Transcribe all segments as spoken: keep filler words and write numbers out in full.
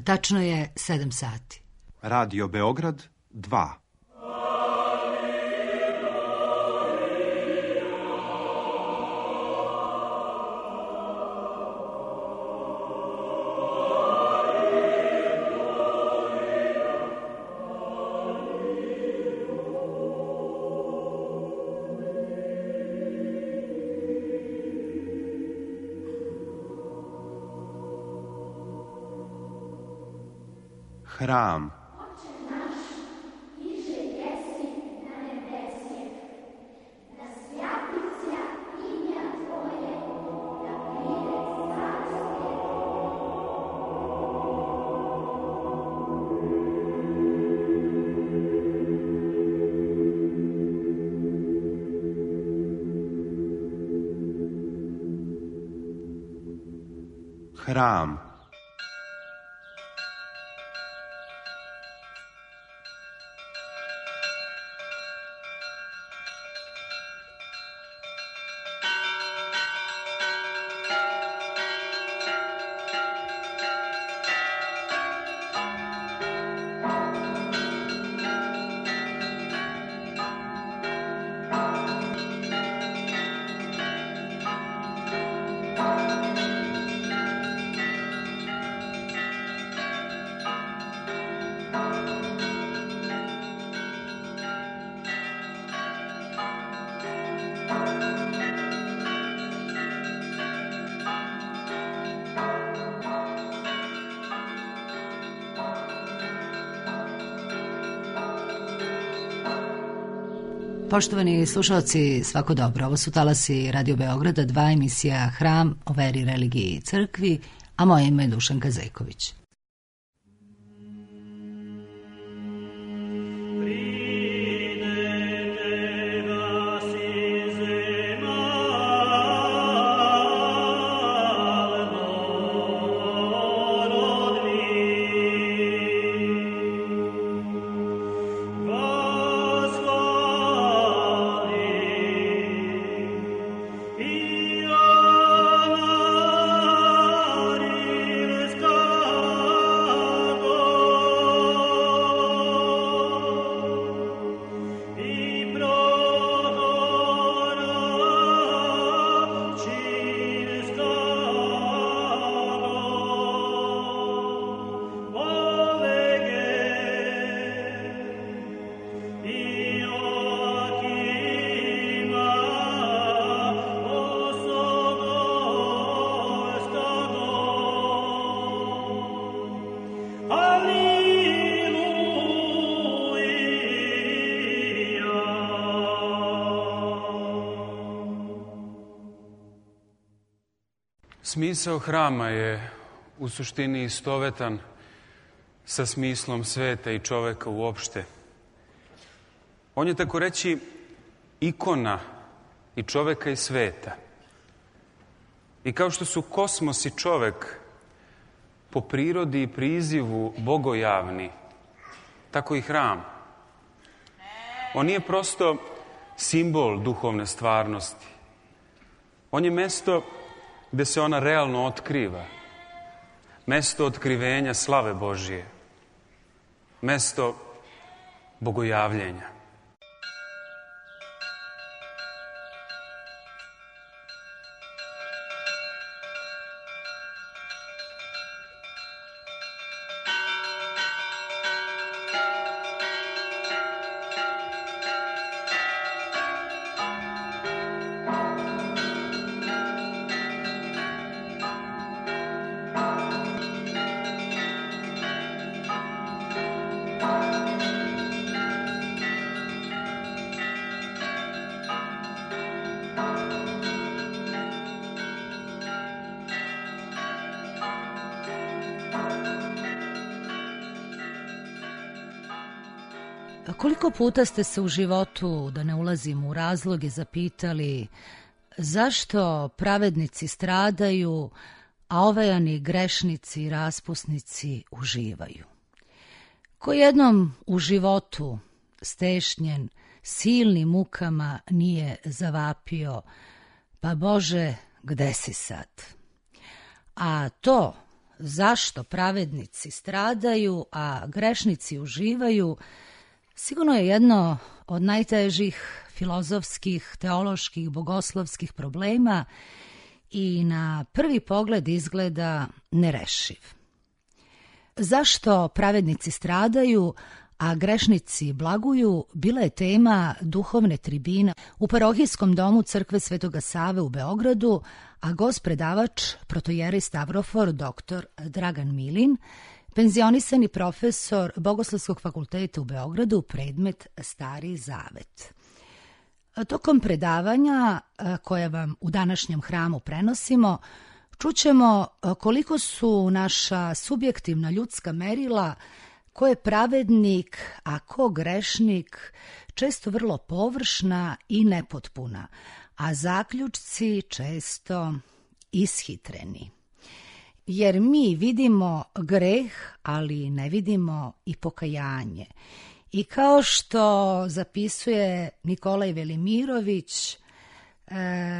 Tačno je sedam sati. Radio Beograd dva. Hram. Hram. Poštovani slušalci, svako dobro. Ovo su talasi Radio Beograda, dva emisija Hram o veri, religiji i crkvi, a moje ime je Dušanka Zejković. Smisao hrama je u suštini istovetan sa smislom sveta i čoveka uopšte. On je, tako reći, ikona i čoveka i sveta. I kao što su kosmos i čovek po prirodi i prizivu bogojavni, tako i hram. On nije prosto simbol duhovne stvarnosti. On je mesto gde se ona realno otkriva. Mesto otkrivenja slave Božije. Mesto bogojavljenja. Koliko puta ste se u životu, da ne ulazim u razloge, zapitali zašto pravednici stradaju, a ovajani grešnici i raspusnici uživaju? Ko jednom u životu stešnjen silnim mukama nije zavapio, pa Bože, gde si sad? A to zašto pravednici stradaju, a grešnici uživaju, sigurno je jedno od najtežih filozofskih, teoloških, bogoslovskih problema i na prvi pogled izgleda nerešiv. Zašto pravednici stradaju, a grešnici blaguju, bila je tema duhovne tribine u parohijskom domu Crkve Svetoga Save u Beogradu, a gost predavač protojerej Stavrofor doktor Dragan Milin, penzionisani profesor Bogoslovskog fakulteta u Beogradu, predmet Stari Zavet. Tokom predavanja koje vam u današnjem hramu prenosimo, čućemo koliko su naša subjektivna ljudska merila, ko je pravednik, a ko grešnik, često vrlo površna i nepotpuna, a zaključci često ishitreni. Jer mi vidimo greh, ali ne vidimo i pokajanje. I kao što zapisuje Nikolaj Velimirović,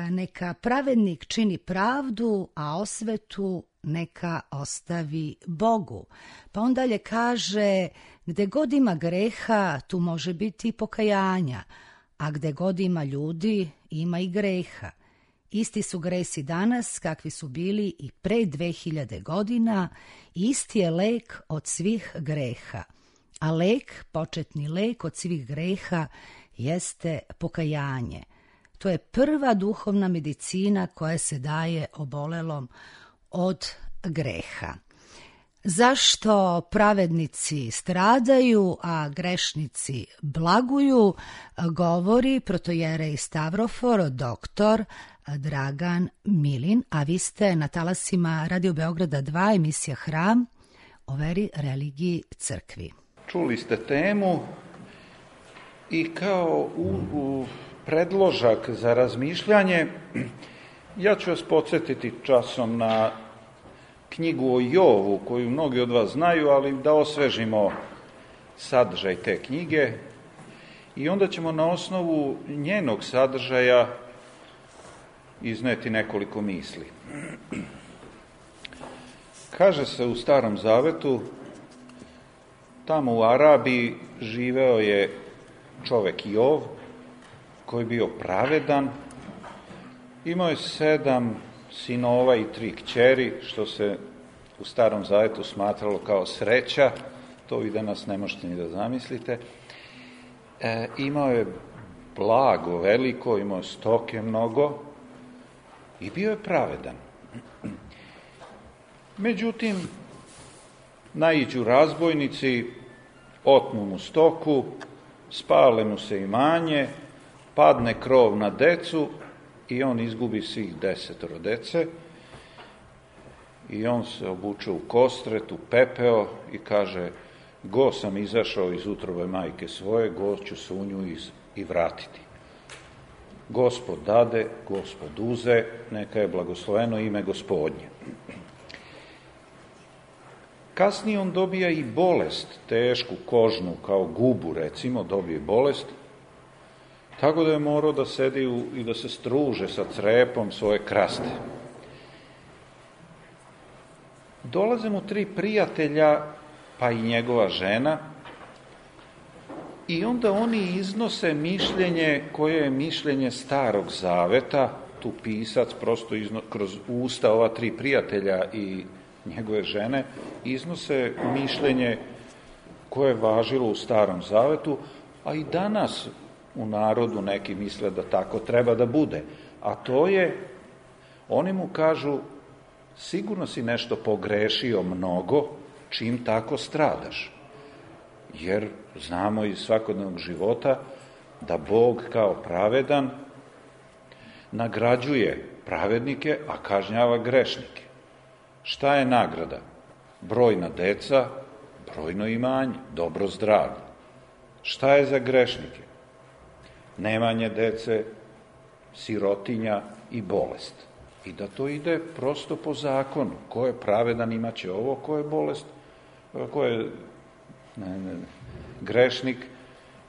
neka pravednik čini pravdu, a osvetu neka ostavi Bogu. Pa on dalje kaže, gde god ima greha, tu može biti i pokajanja, a gde god ima ljudi, ima i greha. Isti su gresi danas kakvi su bili i pre dve hiljade godina, isti je lek od svih greha. A lek, početni lek od svih greha, jeste pokajanje. To je prva duhovna medicina koja se daje obolelom od greha. Zašto pravednici stradaju, a grešnici blaguju, govori protojerej Stavrofor, doktor Dragan Milin, a vi ste na talasima Radio Beograda dva, emisija Hram o veri, religiji, crkvi. Čuli ste temu i kao u, u predložak za razmišljanje, ja ću vas podsjetiti časom na knjigu o Jovu, koju mnogi od vas znaju, ali da osvežimo sadržaj te knjige i onda ćemo na osnovu njenog sadržaja izneti nekoliko misli. Kaže se u Starom Zavetu, tamo u Arabiji živeo je čovek Jov, koji je bio pravedan, imao je sedam sinova i tri kćeri, što se u Starom Zavetu smatralo kao sreća, to vi danas ne možete ni da zamislite. E, imao je blago veliko, imao je stoke mnogo i bio je pravedan. Međutim, naiđu razbojnici, otmu mu stoku, spale mu se imanje, padne krov na decu i on izgubi svih desetoro dece i on se obuče u kostret, u pepeo i kaže, go sam izašao iz utrobe majke svoje, go ću se u nju iz, i vratiti. Gospod dade, Gospod uze, neka je blagosloveno ime Gospodnje. Kasnije on dobija i bolest, tešku, kožnu, kao gubu, recimo, dobije bolest, tako da je morao da sedi u, i da se struže sa crepom svoje kraste. Dolaze mu tri prijatelja, pa i njegova žena, i onda oni iznose mišljenje koje je mišljenje Starog Zaveta, tu pisac prosto izno, kroz usta ova tri prijatelja i njegove žene, iznose mišljenje koje je važilo u Starom Zavetu, a i danas u narodu neki misle da tako treba da bude. A to je, oni mu kažu, sigurno si nešto pogrešio mnogo, čim tako stradaš. Jer znamo iz svakodnevnog života da Bog kao pravedan nagrađuje pravednike, a kažnjava grešnike. Šta je nagrada? Brojna deca, brojno imanje, dobro zdravlje. Šta je za grešnike? Nemanje dece, sirotinja i bolest. I da to ide prosto po zakonu. Ko je pravedan imaće ovo, ko je bolest, ko je ne, ne, grešnik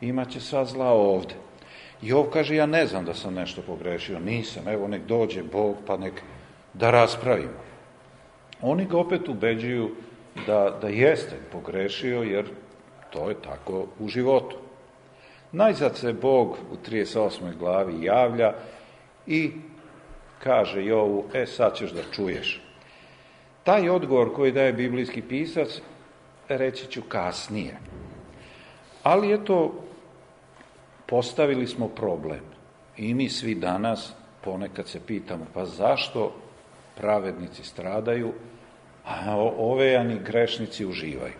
imaće sva zla ovde. I ovo kaže, ja ne znam da sam nešto pogrešio, nisam, evo nek dođe Bog pa nek da raspravimo. Oni ga opet ubeđuju da, da jeste pogrešio, jer to je tako u životu. Najzad se Bog u trideset osmoj glavi javlja i kaže Jovu, e sad ćeš da čuješ. Taj odgovor koji daje biblijski pisac reći ću kasnije. Ali eto, postavili smo problem. I mi svi danas ponekad se pitamo, pa zašto pravednici stradaju, a ovejani grešnici uživaju?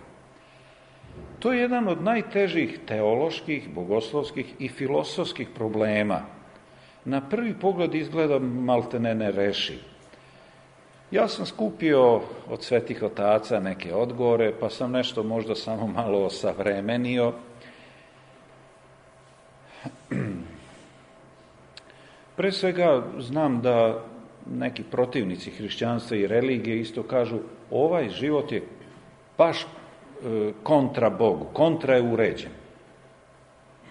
To je jedan od najtežih teoloških, bogoslovskih i filosofskih problema. Na prvi pogled izgleda maltene nerešiv. Ja sam skupio od svetih otaca neke odgovore, pa sam nešto možda samo malo osavremenio. Pre svega znam da neki protivnici hrišćanstva i religije isto kažu, ovaj život je baš kontra Bogu, kontra je uređen.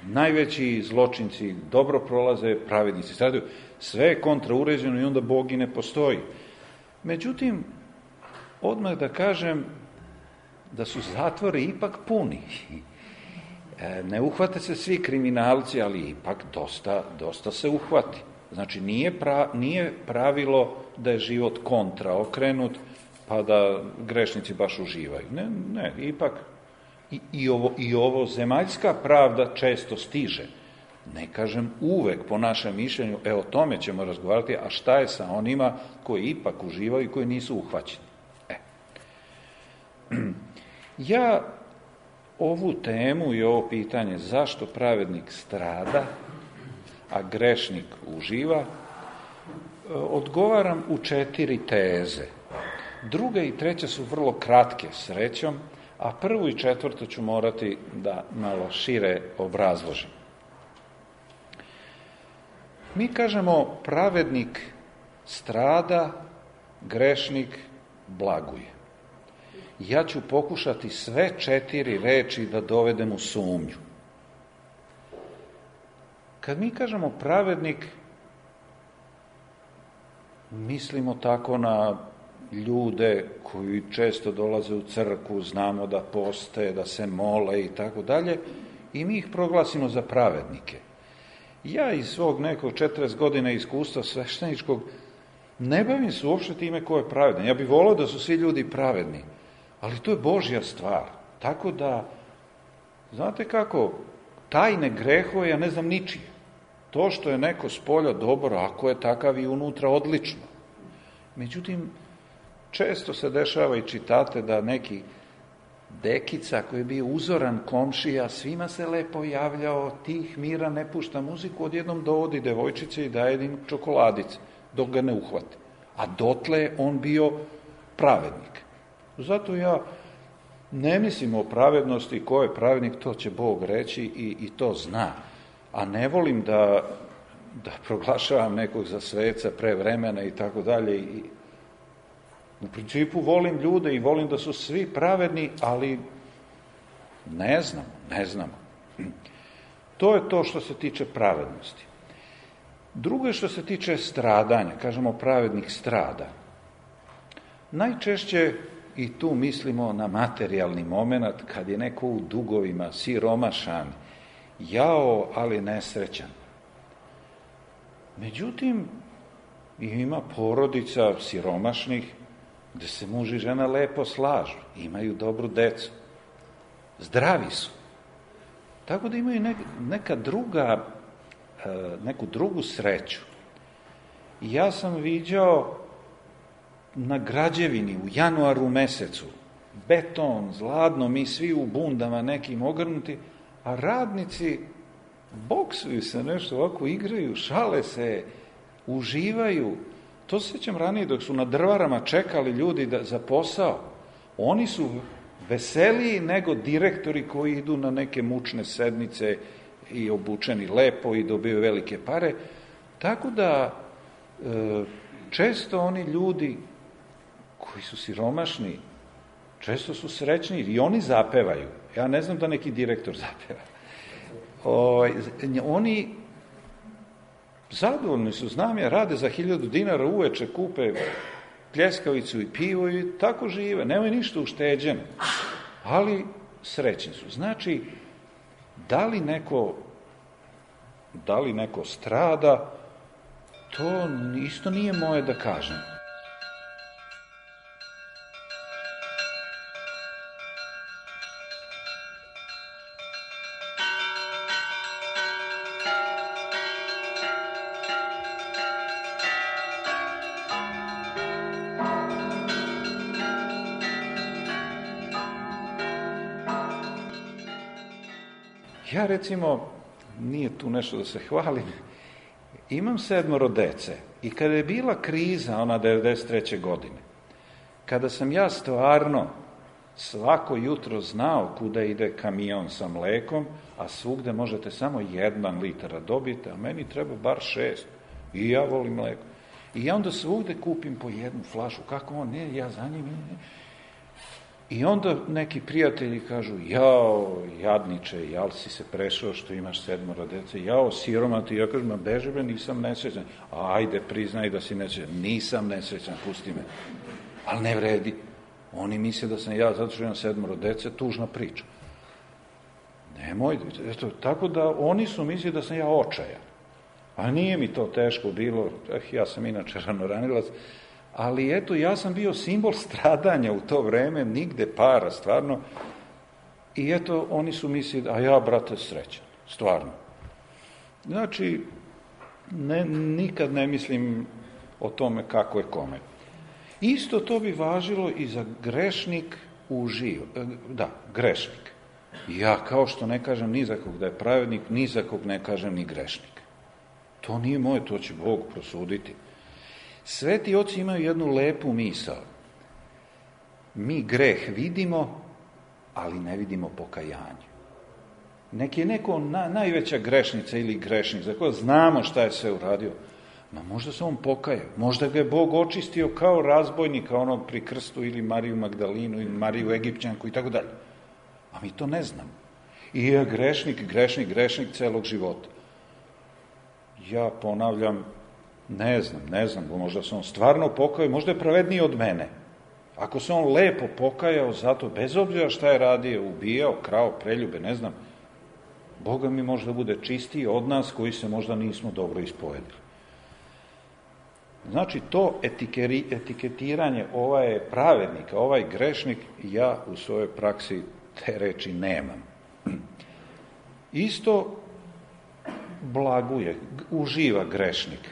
Najveći zločinci dobro prolaze, pravednici stradaju, sve je kontra uređeno i onda Bog i ne postoji. Međutim, odmah da kažem da su zatvori ipak puni. Ne uhvate se svi kriminalci, ali ipak dosta, dosta se uhvati. Znači, nije, pra, nije pravilo da je život kontra okrenut, pa da grešnici baš uživaju. Ne, ne, ipak i, i, ovo, i ovo zemaljska pravda često stiže. Ne kažem uvek, po našem mišljenju, e o tome ćemo razgovarati, a šta je sa onima koji ipak uživaju i koji nisu uhvaćeni. E. Ja ovu temu i ovo pitanje zašto pravednik strada, a grešnik uživa, odgovaram u četiri teze. Druga i treća su vrlo kratke, srećom, a prvu i četvrtu ću morati da malo šire obrazložim. Mi kažemo pravednik strada, grešnik blaguje. Ja ću pokušati sve četiri reči da dovedem u sumnju. Kad mi kažemo pravednik, mislimo tako na ljude koji često dolaze u crkvu, znamo da poste, da se mole i tako dalje, i mi ih proglasimo za pravednike. Ja iz svog nekog četrdeset godina iskustva svešteničkog ne bavim se uopšte time ko je pravedan. Ja bih volao da su svi ljudi pravedni, ali to je Božja stvar. Tako da, znate kako, tajne grehove ja ne znam ničije. To što je neko spolja dobro, ako je takav i unutra, odlično. Međutim, često se dešava i čitate da neki dekica koji je bio uzoran komšija, svima se lepo javljao, tih mira, ne pušta muziku, odjednom dovodi devojčice i daje im čokoladice, dok ga ne uhvate. A dotle je on bio pravednik. Zato ja ne mislim o pravednosti, ko je pravednik, to će Bog reći i, i to zna. A ne volim da, da proglašavam nekog za sveca pre vremena i tako dalje. I u principu volim ljude i volim da su svi pravedni, ali ne znamo, ne znamo. To je to što se tiče pravednosti. Drugo je što se tiče stradanja, kažemo pravednik strada. Najčešće i tu mislimo na materijalni moment, kad je neko u dugovima, siromašan, jao, ali nesrećan. Međutim, ima porodica siromašnih gde se muž i žena lepo slažu, imaju dobru decu, zdravi su. Tako da imaju neka druga, neku drugu sreću. I ja sam viđao na građevini u januaru mesecu, beton, zladno, mi svi u bundama nekim ogrnuti, a radnici boksuju se, nešto ovako igraju, šale se, uživaju. To se sjećam ranije dok su na drvarama čekali ljudi da, za posao. Oni su veseliji nego direktori koji idu na neke mučne sednice i obučeni lepo i dobiju velike pare. Tako da e, često oni ljudi koji su siromašni, često su srećni i oni zapevaju. Ja ne znam da neki direktor zapeva. O, oni zadovoljni su, znam ja, rade za hiljadu dinara uveče, kupe pljeskavicu i pivo i tako žive, nemaju ništa ušteđeno, ali srećni su. Znači, da li neko, da li neko strada, to isto nije moje da kažem. Ja, recimo, nije tu nešto da se hvalim, imam sedmoro dece i kada je bila kriza, ona devedeset treće godine, kada sam ja stvarno svako jutro znao kuda ide kamion sa mlekom, a svugde možete samo jedan litar dobiti, a meni treba bar šest. I ja volim mleko. I ja onda svugde kupim po jednu flašu. Kako on? Ne, ja za njim. Ne. I onda neki prijatelji kažu, jao, jadniče, jal si se prešao što imaš sedmoro dece, jao, siromati, ja kažem, ma beže bre, nisam nesrećan. Ajde, priznaj da si nesrećan. Nisam nesrećan, pusti me. Ali ne vredi. Oni misle da sam ja, zato što imam sedmoro dece, tužna priča. Nemoj, eto, tako da oni su mislili da sam ja očajan. A nije mi to teško bilo, eh, ja sam inače ranoranilac, ali eto, ja sam bio simbol stradanja u to vreme, nigde para, stvarno. I eto, oni su mislili, a ja, brate, srećan, stvarno. Znači, ne, nikad ne mislim o tome kako je kome. Isto to bi važilo i za grešnik u živo. Da, grešnik. Ja, kao što ne kažem ni za kog da je pravednik, ni za kog ne kažem ni grešnik. To nije moje, to će Bog prosuditi. Sveti oci imaju jednu lepu misao. Mi greh vidimo, ali ne vidimo pokajanje. Neki je neko na, najveća grešnica ili grešnik, za koje znamo šta je sve uradio, ma možda se on pokajao, možda ga je Bog očistio kao razbojnika onog pri krstu ili Mariju Magdalinu ili Mariju Egipćanku i tako dalje. A mi to ne znamo. I je grešnik, grešnik, grešnik celog života. Ja ponavljam, ne znam, ne znam, možda se on stvarno pokajao, možda je pravedniji od mene. Ako se on lepo pokajao zato, bez obzira šta je radio, ubijao, krao, preljube, ne znam, Boga mi možda bude čistiji od nas koji se možda nismo dobro ispovedili. Znači, to etikeri, etiketiranje, ovaj je pravednik, ovaj grešnik, ja u svojoj praksi te reči nemam. Isto blaguje, uživa grešnik.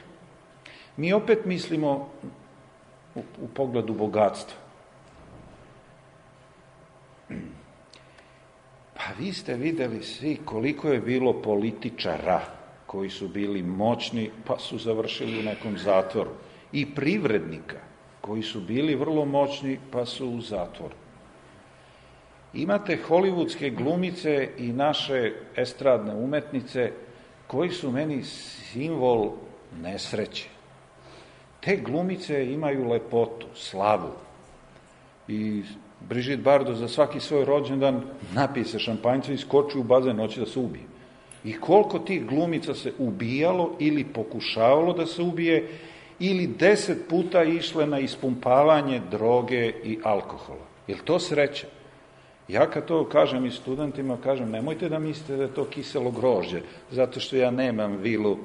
Mi opet mislimo u, u pogledu bogatstva. Pa vi ste videli svi koliko je bilo političara koji su bili moćni pa su završili u nekom zatvoru. I privrednika koji su bili vrlo moćni pa su u zatvoru. Imate hollywoodske glumice i naše estradne umetnice koji su meni simbol nesreće. Te glumice imaju lepotu, slavu. I Brigitte Bardot za svaki svoj rođendan napije se šampanjca i skoči u bazen, hoće da se ubije. I koliko tih glumica se ubijalo ili pokušavalo da se ubije ili deset puta išle na ispumpavanje droge i alkohola. Je li to sreća? Ja kad to kažem i studentima, kažem, nemojte da mislite da je to kiselo grožđe, zato što ja nemam vilu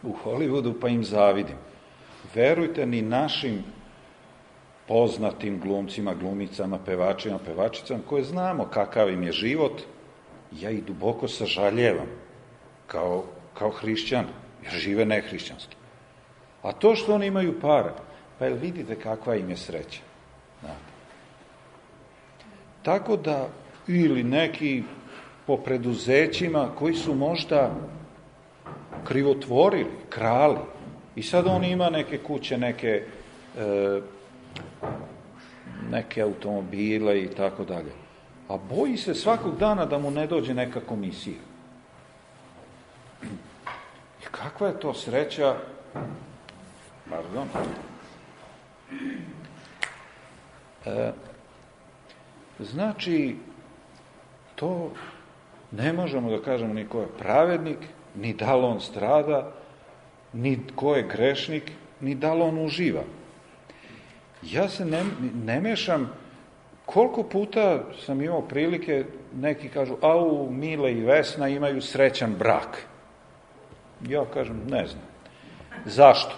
u Hollywoodu pa im zavidim. Verujte, ni našim poznatim glumcima, glumicama, pevačima, pevačicama, koje znamo kakav im je život, ja ih duboko sažaljevam kao, kao hrišćan, jer žive nehrišćanski. A to što oni imaju para, pa jel vidite kakva im je sreća? Da. Tako da, ili neki po preduzećima koji su možda krivotvorili, krali, i sad on ima neke kuće, neke, e, neke automobile i tako dalje. A boji se svakog dana da mu ne dođe neka komisija. I kakva je to sreća? Pardon. E, znači, to ne možemo da kažemo ni ko je pravednik, ni da li on strada, ni ko je grešnik, ni da li on uživa. Ja se ne, ne mešam. Koliko puta sam imao prilike, neki kažu, au, Mile i Vesna imaju srećan brak. Ja kažem, ne znam. Zašto?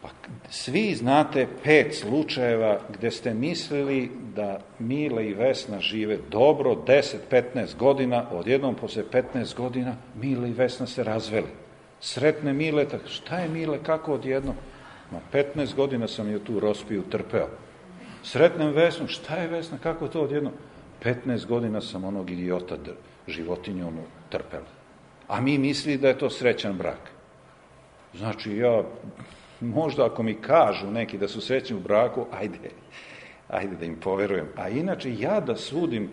Pa svi znate pet slučajeva gde ste mislili da Mile i Vesna žive dobro, deset do petnaest godina, odjednom posle petnaest godina Mile i Vesna se razveli. Sretne Mile, tako, šta je Mile, kako odjednom? Ma petnaest godina sam je tu rospiju trpeo. Sretnem Vesnu, šta je Vesna, kako to odjednom? petnaest godina sam onog idiota životinju onu trpela. A mi misli da je to srećan brak. Znači, ja, možda ako mi kažu neki da su srećni u braku, ajde, ajde da im poverujem. A inače, ja da sudim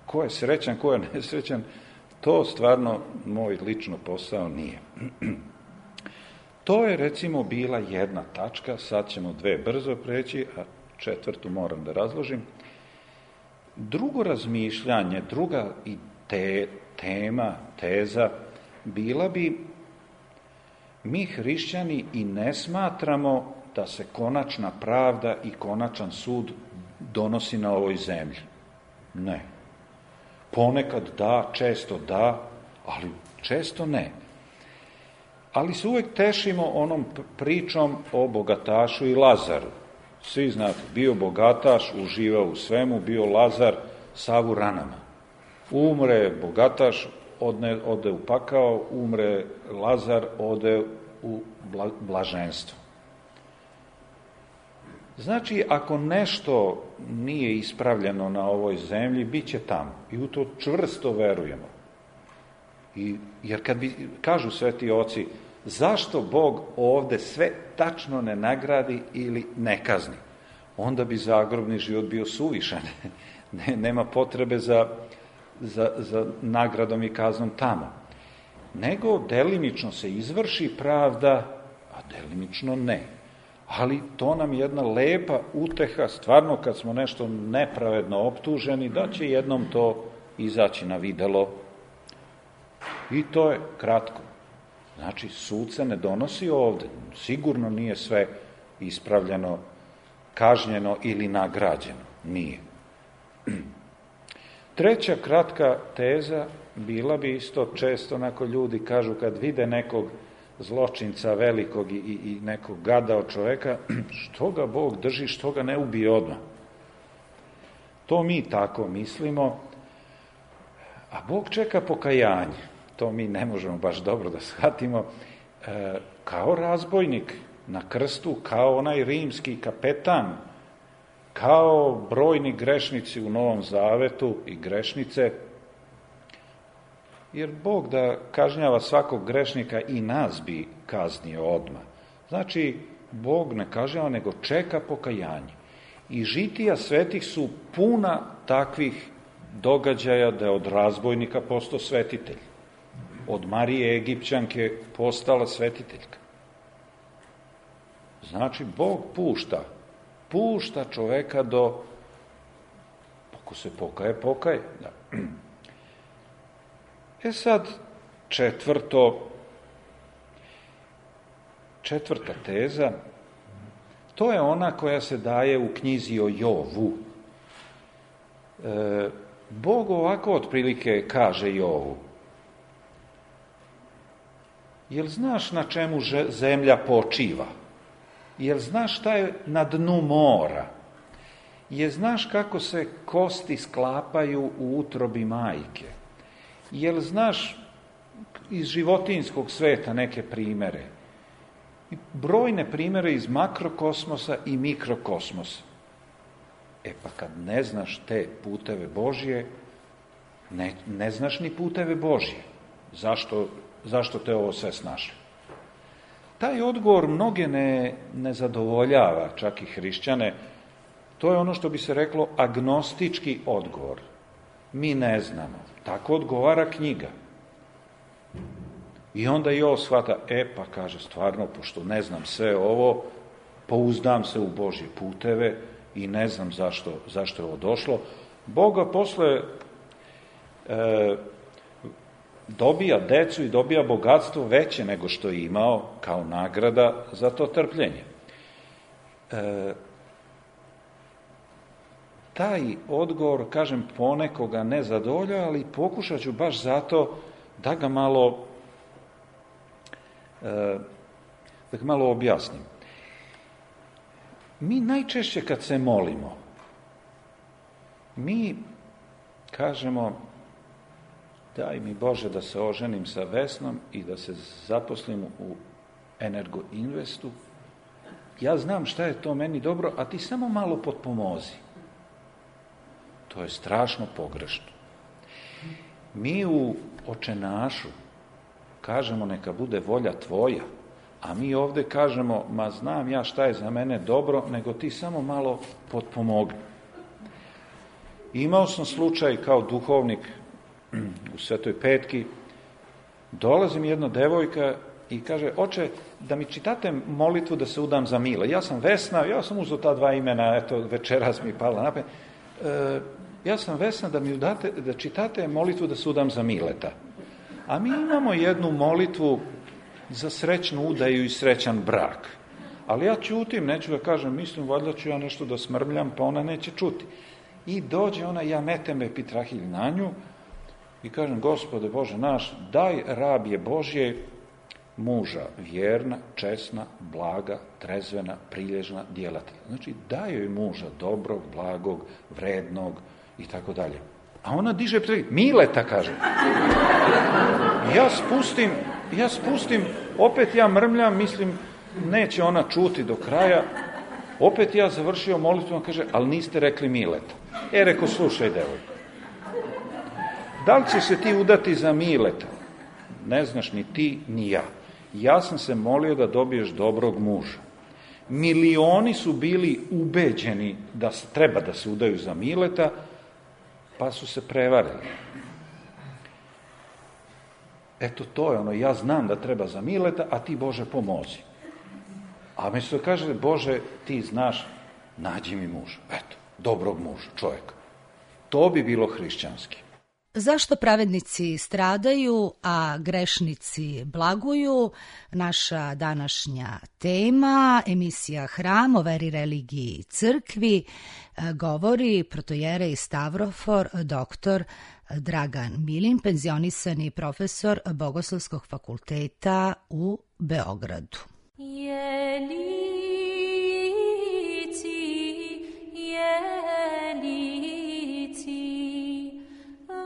ko je srećan, ko je nesrećan, to stvarno moj lično posao nije. To je, recimo, bila jedna tačka, sad ćemo dve brzo preći, a četvrtu moram da razložim. Drugo razmišljanje, druga i te, tema, teza, bila bi, mi hrišćani i ne smatramo da se konačna pravda i konačan sud donosi na ovoj zemlji. Ne. Ponekad da, često da, ali često ne. Ali se uvek tešimo onom pričom o bogatašu i Lazaru. Svi znate, bio bogataš, uživao u svemu, bio Lazar, sav u ranama. Umre bogataš, odne, ode u pakao, umre Lazar, ode u bla, blaženstvo. Znači, ako nešto nije ispravljeno na ovoj zemlji, bit će tamo. I u to čvrsto verujemo. I, jer kad bi, kažu sveti oci, zašto Bog ovde sve tačno ne nagradi ili ne kazni? Onda bi zagrobni život bio suvišan. Ne, nema potrebe za, za, za nagradom i kaznom tamo. Nego delimično se izvrši pravda, a delimično ne. Ali to nam je jedna lepa uteha, stvarno kad smo nešto nepravedno optuženi, da će jednom to izaći na videlo. I to je kratko. Znači, sud se ne donosi ovde. Sigurno nije sve ispravljeno, kažnjeno ili nagrađeno. Nije. Treća kratka teza bila bi isto često, onako ljudi kažu kad vide nekog zločinca velikog i, i, i nekog gada od čoveka, što ga Bog drži, što ga ne ubije odmah. To mi tako mislimo, a Bog čeka pokajanje. To mi ne možemo baš dobro da shvatimo. E, kao razbojnik na krstu, kao onaj rimski kapetan, kao brojni grešnici u Novom Zavetu i grešnice, jer Bog da kažnjava svakog grešnika i nas bi kaznio odmah. Znači, Bog ne kažnjava, nego čeka pokajanje. I žitija svetih su puna takvih događaja da je od razbojnika postao svetitelj. Od Marije Egipćanke postala svetiteljka. Znači, Bog pušta, pušta čoveka do, ako se pokaje, pokaje. Da. E sad, četvrto, četvrta teza, to je ona koja se daje u knjizi o Jovu. E, Bog ovako otprilike kaže Jovu, jel znaš na čemu zemlja počiva? Jel znaš šta je na dnu mora? Jel znaš kako se kosti sklapaju u utrobi majke? Jel znaš iz životinjskog sveta neke primere? Brojne primere iz makrokosmosa i mikrokosmosa. E pa kad ne znaš te puteve Božje, ne, ne znaš ni puteve Božje. Zašto, zašto te ovo sve snašli? Taj odgovor mnoge ne, ne zadovoljava, čak i hrišćane. To je ono što bi se reklo agnostički odgovor. Mi ne znamo. Tako odgovara knjiga. I onda i ovo shvata, e pa kaže stvarno, pošto ne znam sve ovo, pouzdam se u Božje puteve i ne znam zašto, zašto je ovo došlo. Boga posle e, dobija decu i dobija bogatstvo veće nego što je imao kao nagrada za to trpljenje. e, taj odgovor, kažem, ponekoga ne zadovoljava, ali pokušat ću baš zato da ga malo, e, da ga malo objasnim. Mi najčešće kad se molimo, mi kažemo: daj mi Bože da se oženim sa Vesnom i da se zaposlim u Energo Investu. Ja znam šta je to meni dobro, a ti samo malo potpomozi. To je strašno pogrešno. Mi u Očenašu kažemo: neka bude volja tvoja, a mi ovde kažemo: ma znam ja šta je za mene dobro, nego ti samo malo potpomogni. Imao sam slučaj kao duhovnik u Svetoj Petki, dolazi mi jedna devojka i kaže: oče, da mi čitate molitvu da se udam za Mile. Ja sam Vesna, ja sam uzeo ta dva imena, eto, večeras mi pala na pamet. E, ja sam Vesna, da mi udate, da čitate molitvu da se udam za Mileta. A mi imamo jednu molitvu za srećnu udaju i srećan brak. Ali ja ćutim, neću da kažem, mislim, valjda ću ja nešto da smrmljam, pa ona neće čuti. I dođe ona, ja metem epitrahilj na nju i kažem: Gospode Bože naš, daj rabje Božje muža, vjerna, česna, blaga, trezvena, prilježna, djelatelja. Znači, daj joj muža dobrog, blagog, vrednog i tako dalje. A ona diže epitrahilj, Mileta, kaže. Ja spustim, ja spustim, opet ja mrmljam, mislim, neće ona čuti do kraja. Opet ja završio molitvu, on kaže: ali niste rekli Mileta. E, reko, slušaj, devojko, da li će se ti udati za Mileta? Ne znaš ni ti, ni ja. Ja sam se molio da dobiješ dobrog muža. Milioni su bili ubeđeni da treba da se udaju za Mileta, pa su se prevarili. Eto, to je ono, ja znam da treba za Mileta, a ti, Bože, pomozi. A mi se kaže: Bože, ti znaš, nađi mi muža. Eto, dobrog muža, čovjeka. To bi bilo hrišćanski. Zašto pravednici stradaju, a grešnici blaguju? Naša današnja tema, emisija Hram o veri, religiji i crkvi, govori protojerej Stavrofor, doktor Dragan Milin, penzionisani profesor Bogoslovskog fakulteta u Beogradu. Jelici, jelici,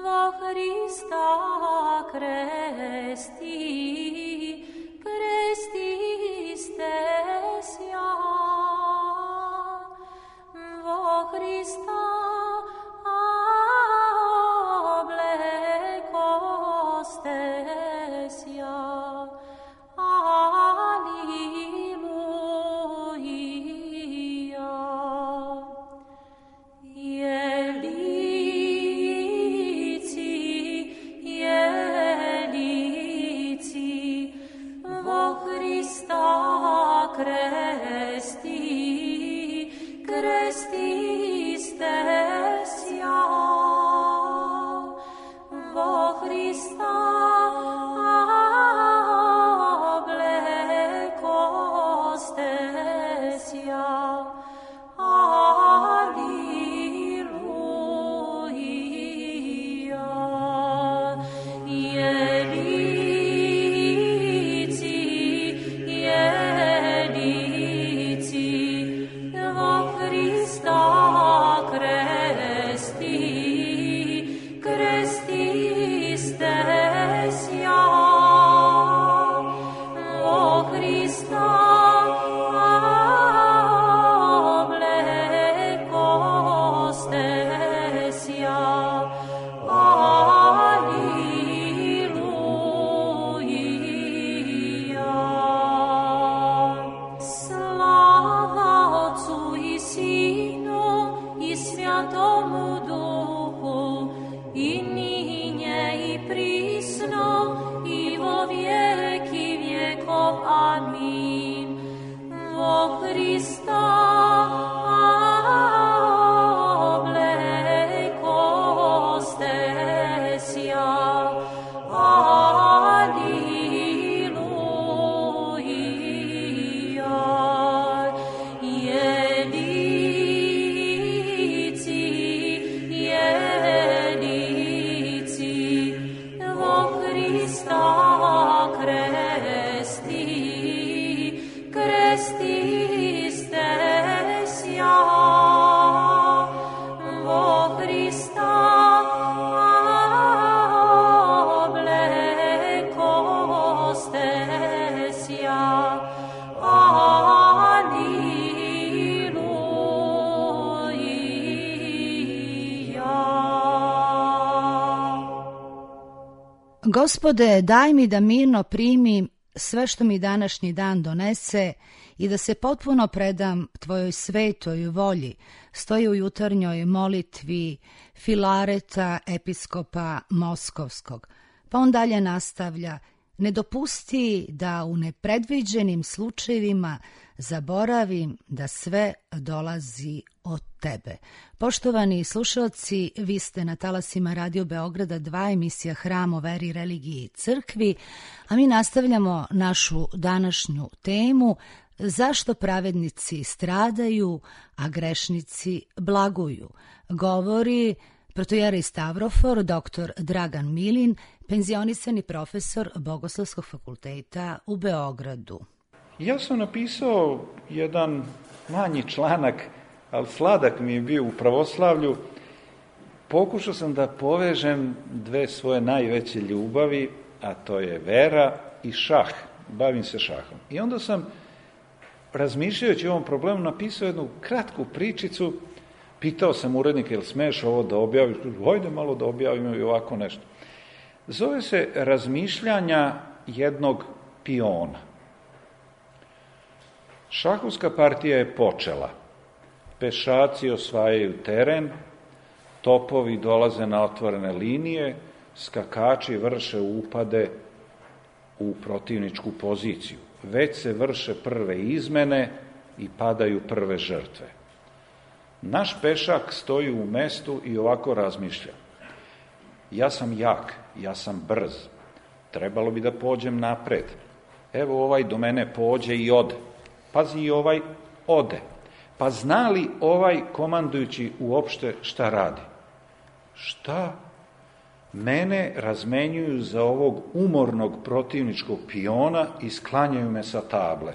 vo Hrista kresti, krestiste sja, vo Hrista oblekoste sja. Krista obleko Gospode, daj mi da mirno primim sve što mi današnji dan donese i da se potpuno predam tvojoj svetoj volji, stoji u jutarnjoj molitvi Filareta, episkopa Moskovskog. Pa on dalje nastavlja: ne dopusti da u nepredviđenim slučajevima zaboravim da sve dolazi od tebe. Poštovani slušalci, vi ste na talasima Radio Beograda dva, emisija Hram o veri, religiji i crkvi, a mi nastavljamo našu današnju temu: zašto pravednici stradaju, a grešnici blaguju. Govori protojerej Stavrofor, doktor Dragan Milin, penzionisani profesor Bogoslovskog fakulteta u Beogradu. Ja sam napisao jedan manji članak, ali sladak mi je bio u pravoslavlju. Pokušao sam da povežem dve svoje najveće ljubavi, a to je vera i šah. Bavim se šahom. I onda sam, razmišljajući o ovom problemu, napisao jednu kratku pričicu. Pitao sam urednika, jel smeš ovo da objaviš? Hajde malo da objavimo i ovako nešto. Zove se Razmišljanja jednog piona. Šahovska partija je počela. Pešaci osvajaju teren, topovi dolaze na otvorene linije, skakači vrše upade u protivničku poziciju. Već se vrše prve izmene i padaju prve žrtve. Naš pešak stoji u mestu i ovako razmišlja: ja sam jak, ja sam brz, trebalo bi da pođem napred. Evo ovaj do mene pođe i ode. Pazi, i ovaj ode. Pa zna li ovaj komandujući uopšte šta radi? Šta? Mene razmenjuju za ovog umornog protivničkog piona i sklanjaju me sa table.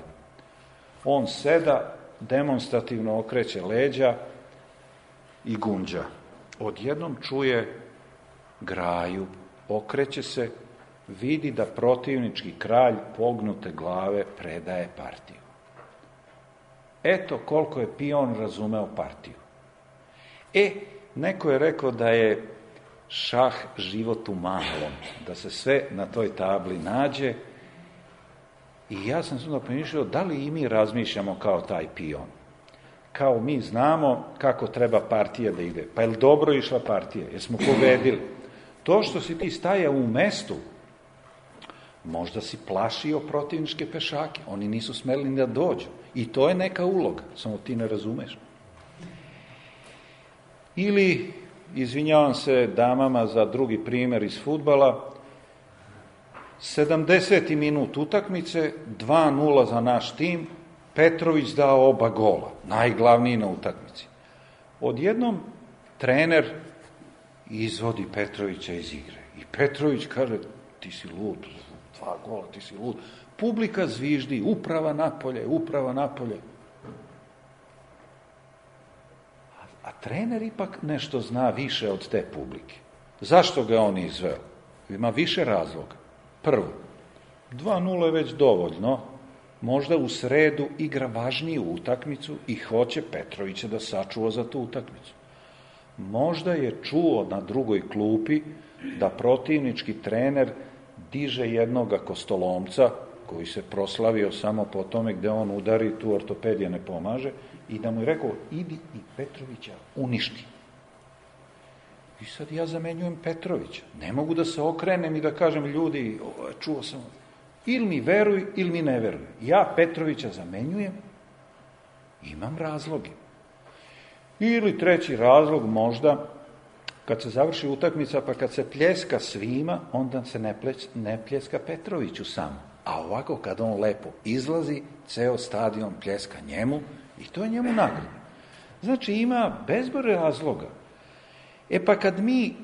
On seda, demonstrativno okreće leđa i gunđa. Odjednom čuje graju, okreće se, vidi da protivnički kralj pognute glave predaje partiju. Eto koliko je pion razumeo partiju. E, neko je rekao da je šah život u malom, da se sve na toj tabli nađe, i ja sam sada pomišljao da li i mi razmišljamo kao taj pion. Kao mi znamo kako treba partija da ide. Pa je li dobro išla partija? Jesmo pobedili? To što si ti stajao u mestu, možda si plašio protivničke pešake. Oni nisu smeli ni da dođu. I to je neka uloga, samo ti ne razumeš. Ili, izvinjavam se damama za drugi primjer iz fudbala, sedamdeseti minut utakmice, dva nula za naš tim, Petrović dao oba gola, najglavniji na utakmici. Odjednom trener izvodi Petrovića iz igre. I Petrović kaže: ti si lud, dva gola, ti si lud. Publika zviždi: uprava napolje, uprava napolje. A, a trener ipak nešto zna više od te publike. Zašto ga on izveo? Ima više razloga. Prvo, dva nula je već dovoljno. Možda u sredu igra važniju utakmicu i hoće Petrovića da sačuva za tu utakmicu. Možda je čuo na drugoj klupi da protivnički trener diže jednoga kostolomca koji se proslavio samo po tome gde on udari, tu ortopedija ne pomaže, i da mu je rekao: idi i Petrovića uništi. I sad ja zamenjujem Petrovića. Ne mogu da se okrenem i da kažem: ljudi, čuo sam, ili mi veruj, ili mi ne veruj. Ja Petrovića zamenjujem, imam razloge. Ili treći razlog, možda, kad se završi utakmica, pa kad se pljeska svima, onda se ne, pleć, ne pljeska Petroviću samo. A ovako, kad on lepo izlazi, ceo stadion pljeska njemu i to je njemu nagrada. Znači, ima bezbroj razloga. E pa kad mi,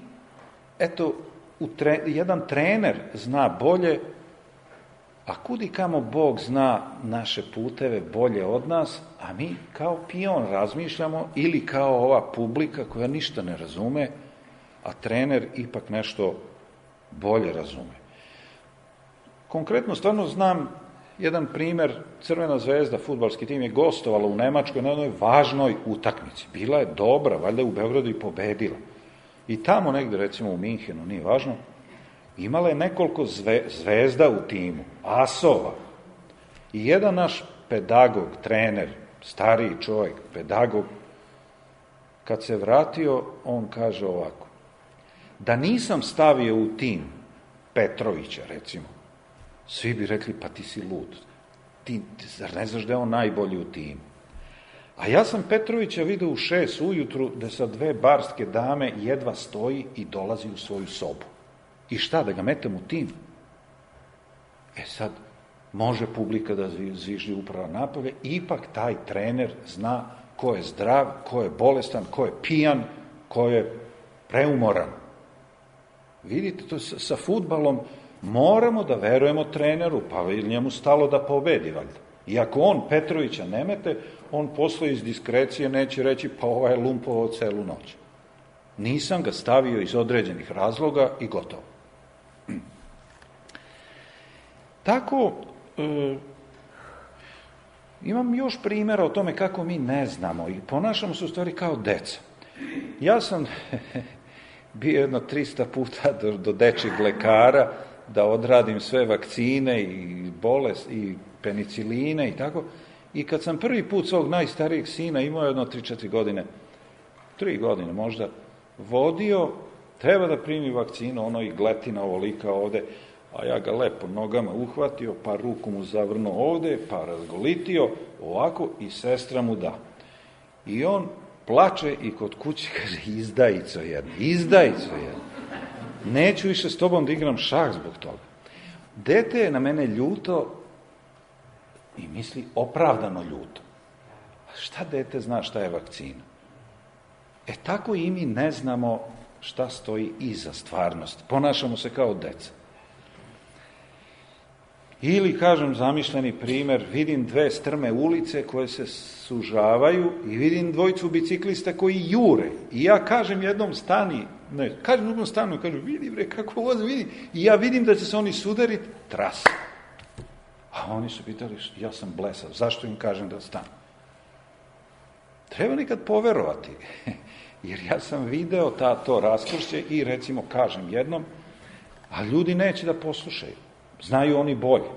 eto, u tre, jedan trener zna bolje, A kudi kamo Bog zna naše puteve bolje od nas, a mi kao pion razmišljamo ili kao ova publika koja ništa ne razume, a trener ipak nešto bolje razume. Konkretno, stvarno znam jedan primjer, Crvena zvezda, fudbalski tim, je gostovala u Nemačkoj na jednoj važnoj utakmici. Bila je dobra, valjda je u Beogradu i pobedila. I tamo negde, recimo u Minhenu, nije važno, imala je nekoliko zve, zvezda u timu, asova. I jedan naš pedagog, trener, stariji čovjek, pedagog, kad se vratio, on kaže ovako: da nisam stavio u tim Petrovića, recimo, svi bi rekli, pa ti si lud. Ti, zar ne znaš da je on najbolji u timu? A ja sam Petrovića vidio u šest ujutru da sa dve barske dame jedva stoji i dolazi u svoju sobu. I šta, da ga metem u tim? E sad, može publika da zviždi upravo napolje, ipak taj trener zna ko je zdrav, ko je bolestan, ko je pijan, ko je preumoran. Vidite, to sa, sa fudbalom moramo da verujemo treneru, pa je njemu stalo da pobedi, valjda. I ako on Petrovića ne mete, on posle iz diskrecije neće reći, pa ovaj je lumpovao celu noć. Nisam ga stavio iz određenih razloga i gotovo. Tako, e, imam još primjera o tome kako mi ne znamo i ponašamo se u stvari kao deca. Ja sam bio jedno trista puta do, do dečjeg lekara da odradim sve vakcine i bolest i peniciline i tako. I kad sam prvi put svog najstarijeg sina, imao jedno tri četiri godine, tri godine možda, vodio, treba da primi vakcinu, ono i gletina ovolika ovde, a ja ga lepo nogama uhvatio, pa ruku mu zavrnuo ovde, pa razgolitio, ovako, i sestra mu da. I on plače i kod kuće kaže, izdajico jedna, izdajico jedna. Neću više s tobom da igram šah zbog toga. Dete je na mene ljuto i misli opravdano ljuto. A šta dete zna šta je vakcina? E tako i mi ne znamo šta stoji iza stvarnosti. Ponašamo se kao deca. Ili, kažem, zamišljeni primjer, vidim dve strme ulice koje se sužavaju i vidim dvojicu biciklista koji jure. I ja kažem jednom stani, ne, kažem drugom stanu, kažem, vidi bre, kako voze, vidi. I ja vidim da će se oni sudariti, tras. A oni su pitali, ja sam blesav, zašto im kažem da stanu? Treba nekad poverovati, jer ja sam video ta, to raskršće i recimo kažem jednom, a ljudi neće da poslušaju. Znaju oni bolje.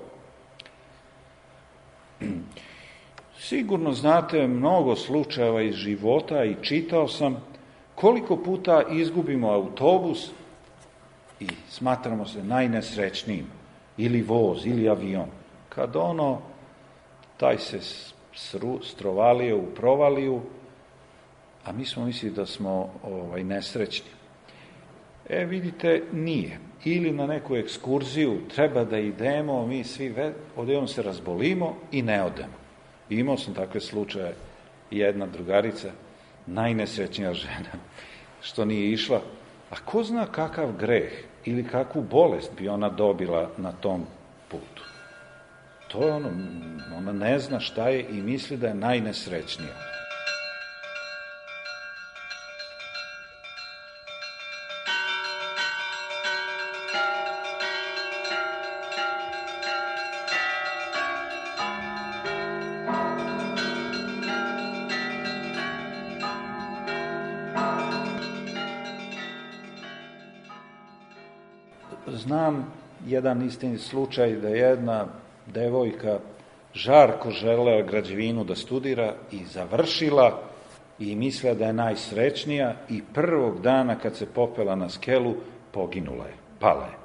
Sigurno znate mnogo slučajeva iz života i čitao sam koliko puta izgubimo autobus i smatramo se najnesrećnijim, ili voz, ili avion. Kad ono, taj se sru, strovalio u provaliju, a mi smo mislili da smo ovaj, nesrećni. E, vidite, nije. Ili na neku ekskurziju treba da idemo, mi svi odjednom se razbolimo i ne odemo. I imao sam takve slučaje, jedna drugarica, najnesrećnija žena, što nije išla, a ko zna kakav greh ili kakvu bolest bi ona dobila na tom putu. To je ono, ona ne zna šta je i misli da je najnesrećnija. Znam jedan istini slučaj da jedna devojka žarko želela građevinu da studira i završila i mislila da je najsrećnija i prvog dana kad se popela na skelu poginula je, pala je.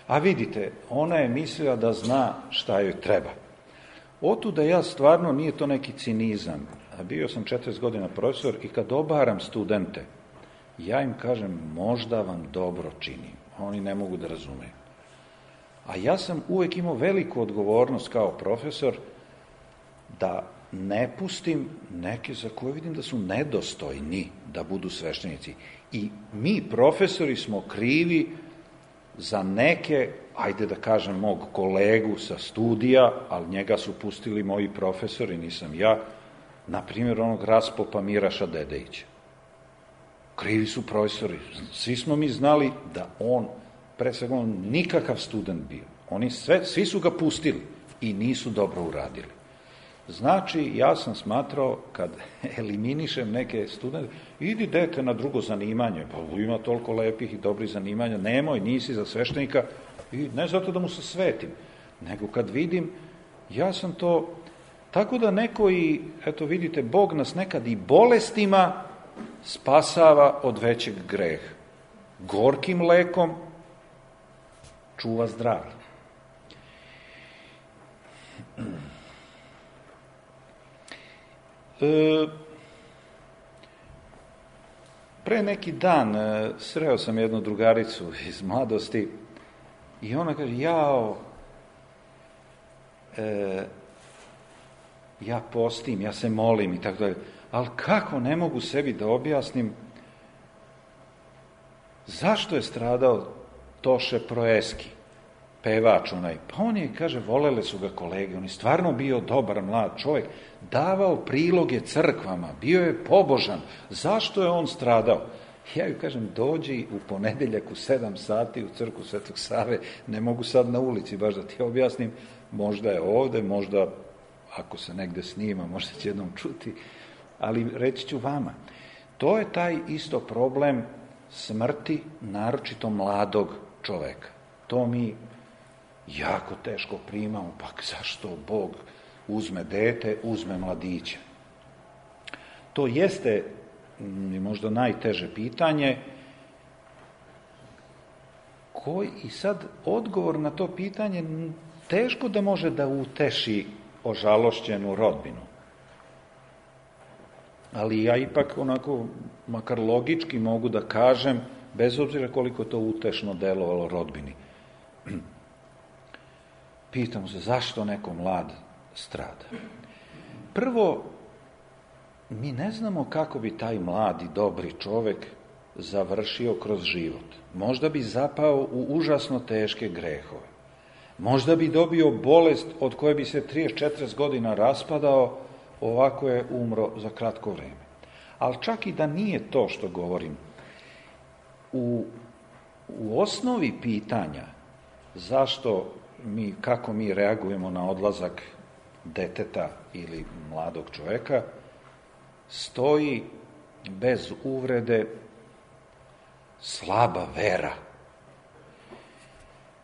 A vidite, ona je mislila da zna šta joj treba. Otuda ja stvarno, nije to neki cinizam, a bio sam četrdeset godina profesor i kad obaram studente, ja im kažem možda vam dobro činim. Oni ne mogu da razumeju. A ja sam uvek imao veliku odgovornost kao profesor da ne pustim neke za koje vidim da su nedostojni da budu sveštenici. I mi, profesori, smo krivi za neke, ajde da kažem, mog kolegu sa studija, ali njega su pustili moji profesori, nisam ja, na primjer onog raspopa Miraša Dedejića. Krivi su profesori. Svi smo mi znali da on, pre svega, on nikakav student bio. Oni sve, svi su ga pustili i nisu dobro uradili. Znači, ja sam smatrao, kad eliminišem neke studente, idi dete na drugo zanimanje, pa ima toliko lepih i dobrih zanimanja, nemoj, nisi za sveštenika, i ne zato da mu se svetim, nego kad vidim, ja sam to, tako da neko i, eto vidite, Bog nas nekad i bolestima spasava od većeg greha. Gorkim lekom čuva zdravlje. E, pre neki dan e, sreo sam jednu drugaricu iz mladosti i ona kaže, jao, e, ja postim, ja se molim i tako dalje, ali kako ne mogu sebi da objasnim zašto je stradao Toše Proeski, pevač onaj. Pa on je, kaže, volele su ga kolege, on je stvarno bio dobar mlad čovjek, davao priloge crkvama, bio je pobožan. Zašto je on stradao? Ja ju kažem, dođi u ponedeljak u sedam sati u crkvu Svetog Save, ne mogu sad na ulici baš da ti objasnim, možda je ovde, možda ako se negde snima, možda će jednom čuti, ali reći ću vama. To je taj isto problem smrti, naročito mladog čoveka. To mi jako teško primamo, pa zašto Bog uzme dete, uzme mladića? To jeste možda najteže pitanje, koji i sad odgovor na to pitanje teško da može da uteši ožalošćenu rodbinu. Ali ja ipak onako, makar logički mogu da kažem, bez obzira koliko to utešno delovalo rodbini. Pitamo se zašto neko mlad strada. Prvo, mi ne znamo kako bi taj mladi, dobri čovek završio kroz život. Možda bi zapao u užasno teške grehove. Možda bi dobio bolest od koje bi se trideset četrdeset godina raspadao, ovako je umro za kratko vreme. Ali čak i da nije to što govorim, u, u osnovi pitanja zašto mi, kako mi reagujemo na odlazak deteta ili mladog čoveka, stoji bez uvrede slaba vera.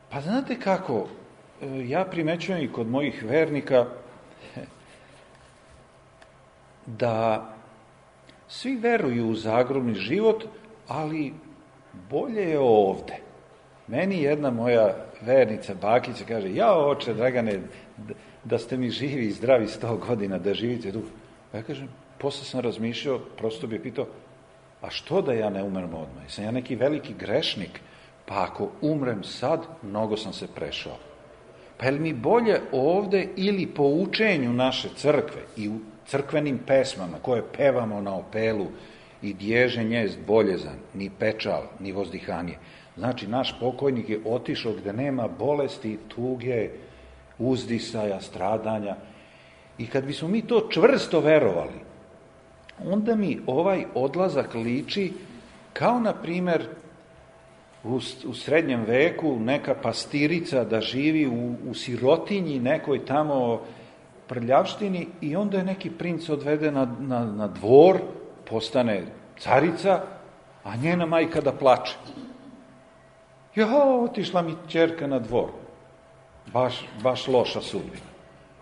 Pa znate kako, ja primećujem i kod mojih vernika da svi veruju u zagrobni život, ali bolje je ovde. Meni jedna moja vernica, bakica, kaže, ja oče, Dragane, da ste mi živi i zdravi sto godina, da živite dugo. Pa ja kažem, posle sam razmišljao, prosto bi pitao, a što da ja ne umrem odmah? Sam ja neki veliki grešnik, pa ako umrem sad, mnogo sam se prešao. Pa je li mi bolje ovde ili po učenju naše crkve i u crkvenim pesmama koje pevamo na opelu i dježe njezd boljezan, ni pečal, ni vozdihanje. Znači, naš pokojnik je otišao gde nema bolesti, tuge, uzdisaja, stradanja. I kad bismo mi to čvrsto verovali, onda mi ovaj odlazak liči kao, na primer, u, u srednjem veku neka pastirica da živi u, u sirotinji nekoj tamo prljavštini i onda je neki princ odvede na, na, na dvor, postane carica, a njena majka da plače. Ja, otišla mi ćerka na dvor. Baš, baš loša sudbina.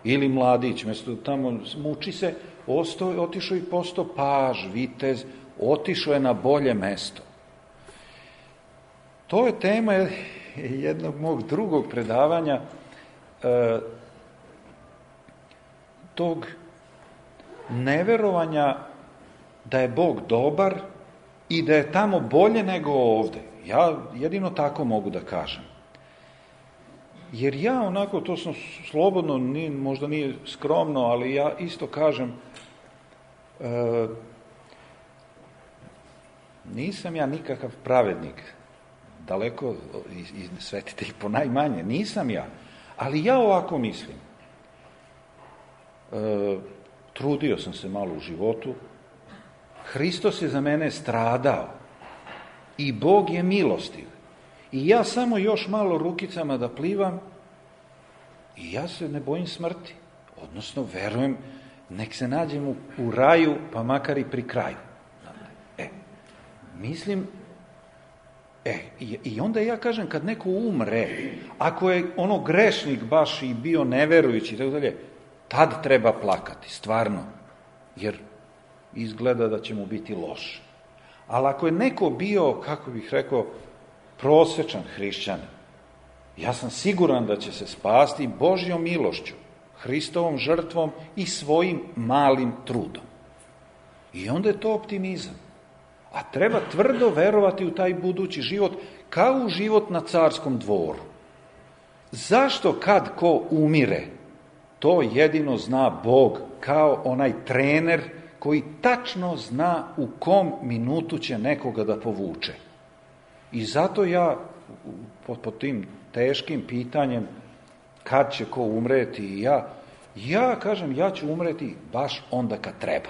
Ili mladić, mesto tamo muči se, ostao, otišao i postao paž, vitez, otišao je na bolje mesto. To je tema jednog mog drugog predavanja, e, tog neverovanja da je Bog dobar i da je tamo bolje nego ovde. Ja jedino tako mogu da kažem. Jer ja onako, to sam slobodno, nije, možda nije skromno, ali ja isto kažem, e, nisam ja nikakav pravednik. daleko, i, i svetitelj po najmanje, nisam ja. Ali ja ovako mislim. E, trudio sam se malo u životu. Hristos je za mene stradao. I Bog je milostiv. I ja samo još malo rukicama da plivam i ja se ne bojim smrti. Odnosno, verujem, nek se nađem u, u raju, pa makar i pri kraju. E, mislim, e, i, i onda ja kažem, kad neko umre, ako je ono grešnik baš i bio neverujući, tako dalje, tad treba plakati, stvarno, jer izgleda da će mu biti loše. Ali ako je neko bio, kako bih rekao, prosečan hrišćanin, ja sam siguran da će se spasti Božjom milošću, Hristovom žrtvom i svojim malim trudom. I onda je to optimizam. A treba tvrdo verovati u taj budući život, kao u život na carskom dvoru. Zašto kad ko umire, to jedino zna Bog, kao onaj trener koji tačno zna u kom minutu će nekoga da povuče. I zato ja, pod, pod tim teškim pitanjem, kad će ko umreti i ja, ja kažem, ja ću umreti baš onda kad treba.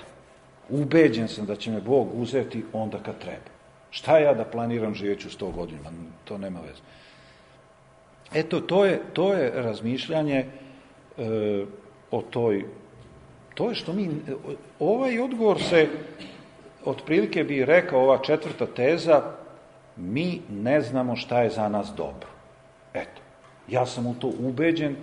Ubeđen sam da će me Bog uzeti onda kad treba. Šta ja da planiram, živeću sto godina, to nema veze. Eto, to je, to je razmišljanje e, o toj, to je što mi, ovaj odgovor se, otprilike bi rekao, ova četvrta teza, mi ne znamo šta je za nas dobro. Eto, ja sam u to ubeđen,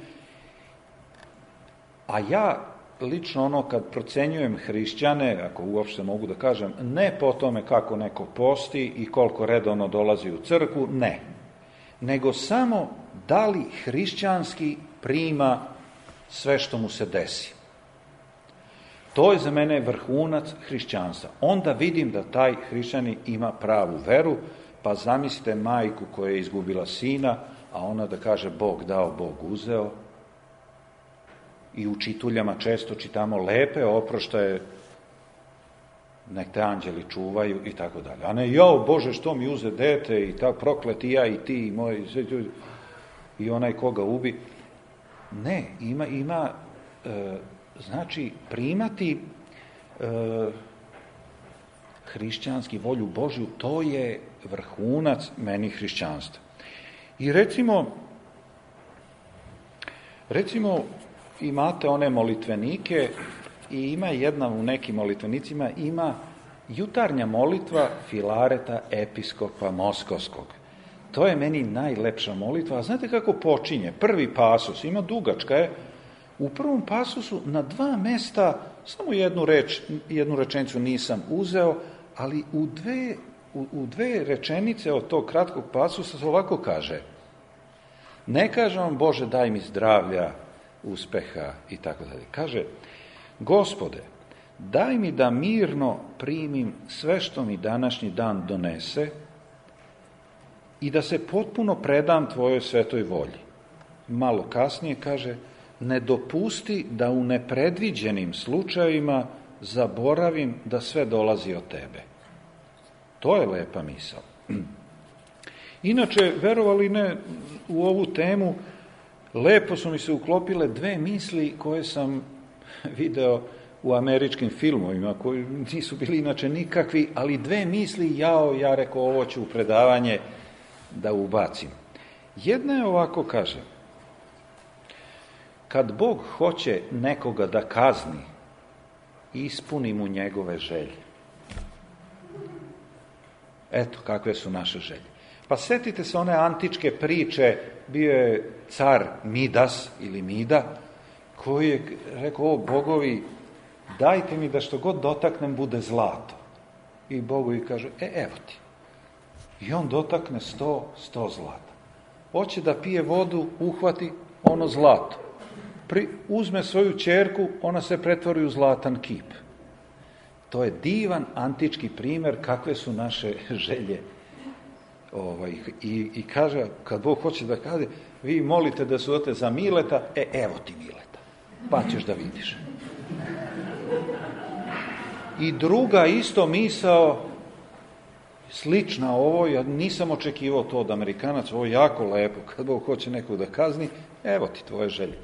a ja lično ono kad procenjujem hrišćane, ako uopšte mogu da kažem, ne po tome kako neko posti i koliko redovno dolazi u crkvu, ne. Nego samo da li hrišćanski prima sve što mu se desi. To je za mene vrhunac hrišćanstva. Onda vidim da taj hrišćanin ima pravu veru, pa zamislite majku koja je izgubila sina, a ona da kaže Bog dao, Bog uzeo. I u čituljama često čitamo lepe oproštaje, nek te anđeli čuvaju i tako dalje. A ne, jao Bože, što mi uze dete i tako prokleti ja i ti i moj i onaj koga ubi. Ne, ima, ima e, znači primati e, hrišćanski volju Božju, to je vrhunac meni hrišćanstva. I recimo, recimo, imate one molitvenike i ima jedna u nekim molitvenicima, ima jutarnja molitva Filareta episkopa Moskovskog. To je meni najlepša molitva. A znate kako počinje? Prvi pasus, ima dugačka je, u prvom pasusu na dva mesta, samo jednu reč, jednu rečenicu nisam uzeo, ali u dve, u, u dve rečenice od tog kratkog pasusa se ovako kaže. Ne kaže vam Bože daj mi zdravlja, uspeha i tako dalje. Kaže, Gospode, daj mi da mirno primim sve što mi današnji dan donese i da se potpuno predam tvojoj svetoj volji. Malo kasnije kaže, ne dopusti da u nepredviđenim slučajevima zaboravim da sve dolazi od tebe. To je lepa misao. Inače, verovali ne, u ovu temu lepo su mi se uklopile dve misli koje sam video u američkim filmovima, koji nisu bili inače nikakvi, ali dve misli, jao, ja rekao, ovo ću u predavanje da ubacim. Jedna je ovako, kaže, kad Bog hoće nekoga da kazni, ispuni mu njegove želje. Eto, kakve su naše želje. Pa setite se one antičke priče, bio je car Midas ili Mida, koji je rekao, o bogovi, dajte mi da što god dotaknem bude zlato. I bogovi kažu, e, evo ti. I on dotakne sto, sto zlata. Hoće da pije vodu, uhvati ono zlato. Pri, uzme svoju ćerku, ona se pretvori u zlatan kip. To je divan antički primjer kakve su naše želje. Ovaj, i, I kaže, kad Bog hoće da kaže, vi molite da se odete za Mileta, e, evo ti Mileta, pa ćeš da vidiš. I druga isto misao, slična ovo, ja nisam očekivao to od Amerikanaca, ovo je jako lepo, kad Bog hoće nekog da kazni, evo ti tvoje želje.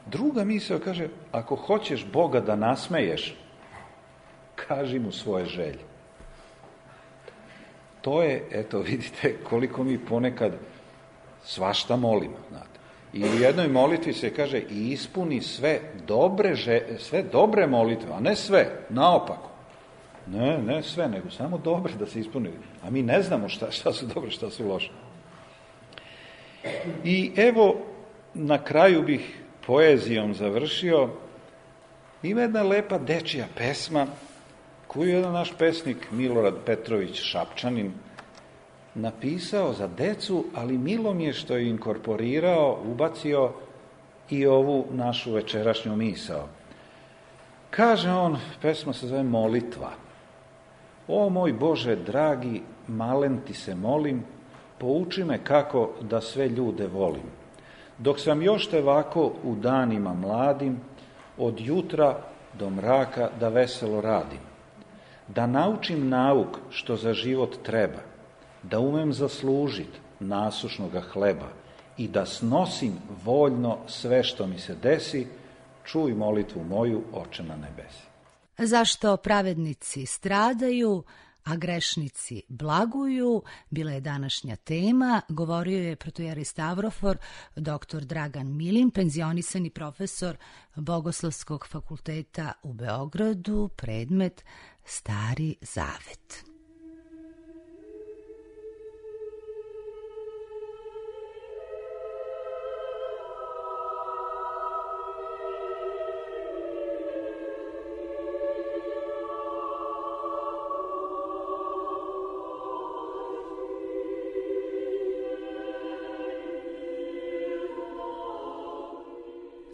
Druga misao kaže, ako hoćeš Boga da nasmeješ, kaži mu svoje želje. To je, eto vidite, koliko mi ponekad svašta molimo, znate. I u jednoj molitvi se kaže i ispuni sve dobre, sve dobre molitve, a ne sve, naopako. Ne, ne sve, nego samo dobre da se ispuni. A mi ne znamo šta, šta su dobre, šta su loše. I evo, na kraju bih poezijom završio. Ima jedna lepa dečija pesma koju je jedan naš pesnik Milorad Petrović Šapčanin napisao za decu, ali milo mi je što je inkorporirao, ubacio i ovu našu večerašnju misao. Kaže on, pesma se zove Molitva. O moj Bože dragi, malen ti se molim, pouči me kako da sve ljude volim. Dok sam još te ovako u danima mladim, od jutra do mraka da veselo radim. Da naučim nauk što za život treba, da umem zaslužit nasušnoga hleba i da snosim voljno sve što mi se desi, čuj molitvu moju, Oče na nebesi. Zašto pravednici stradaju, a grešnici blaguju, bila je današnja tema. Govorio je protoijerej Stavrofor, doktor Dragan Milin, penzionisani profesor Bogoslovskog fakulteta u Beogradu, predmet Stari Zavet.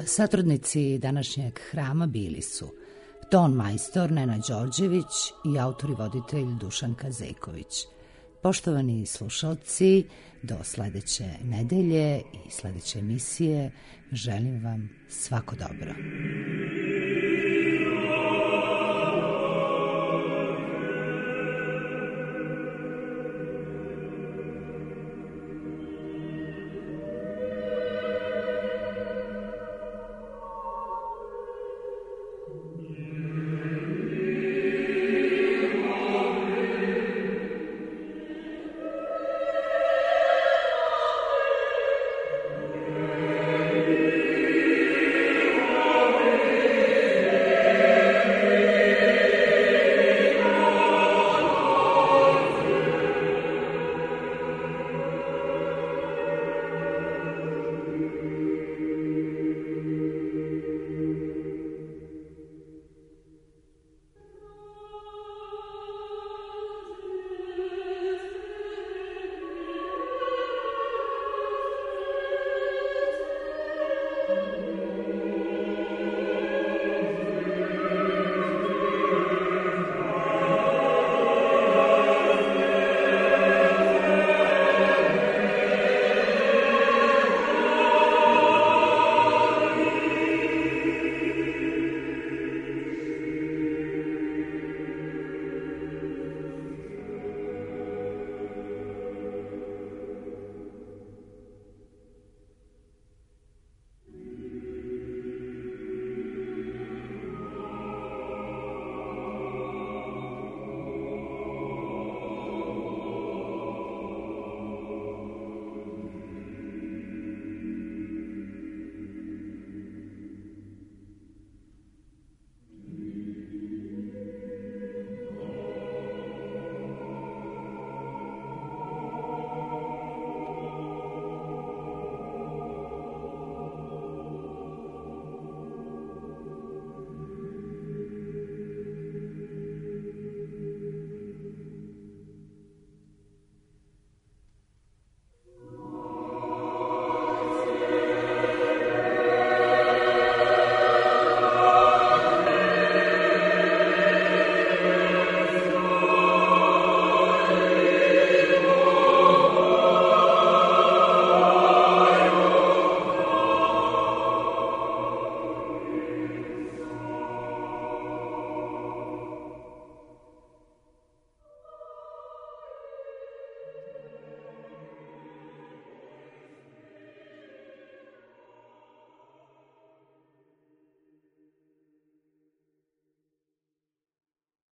Satrudnici današnjeg hrama bili su ton majstor Nena Đorđević i autor i voditelj Dušan Kazeković. Poštovani slušalci, do sledeće nedelje i sledeće emisije želim vam svako dobro.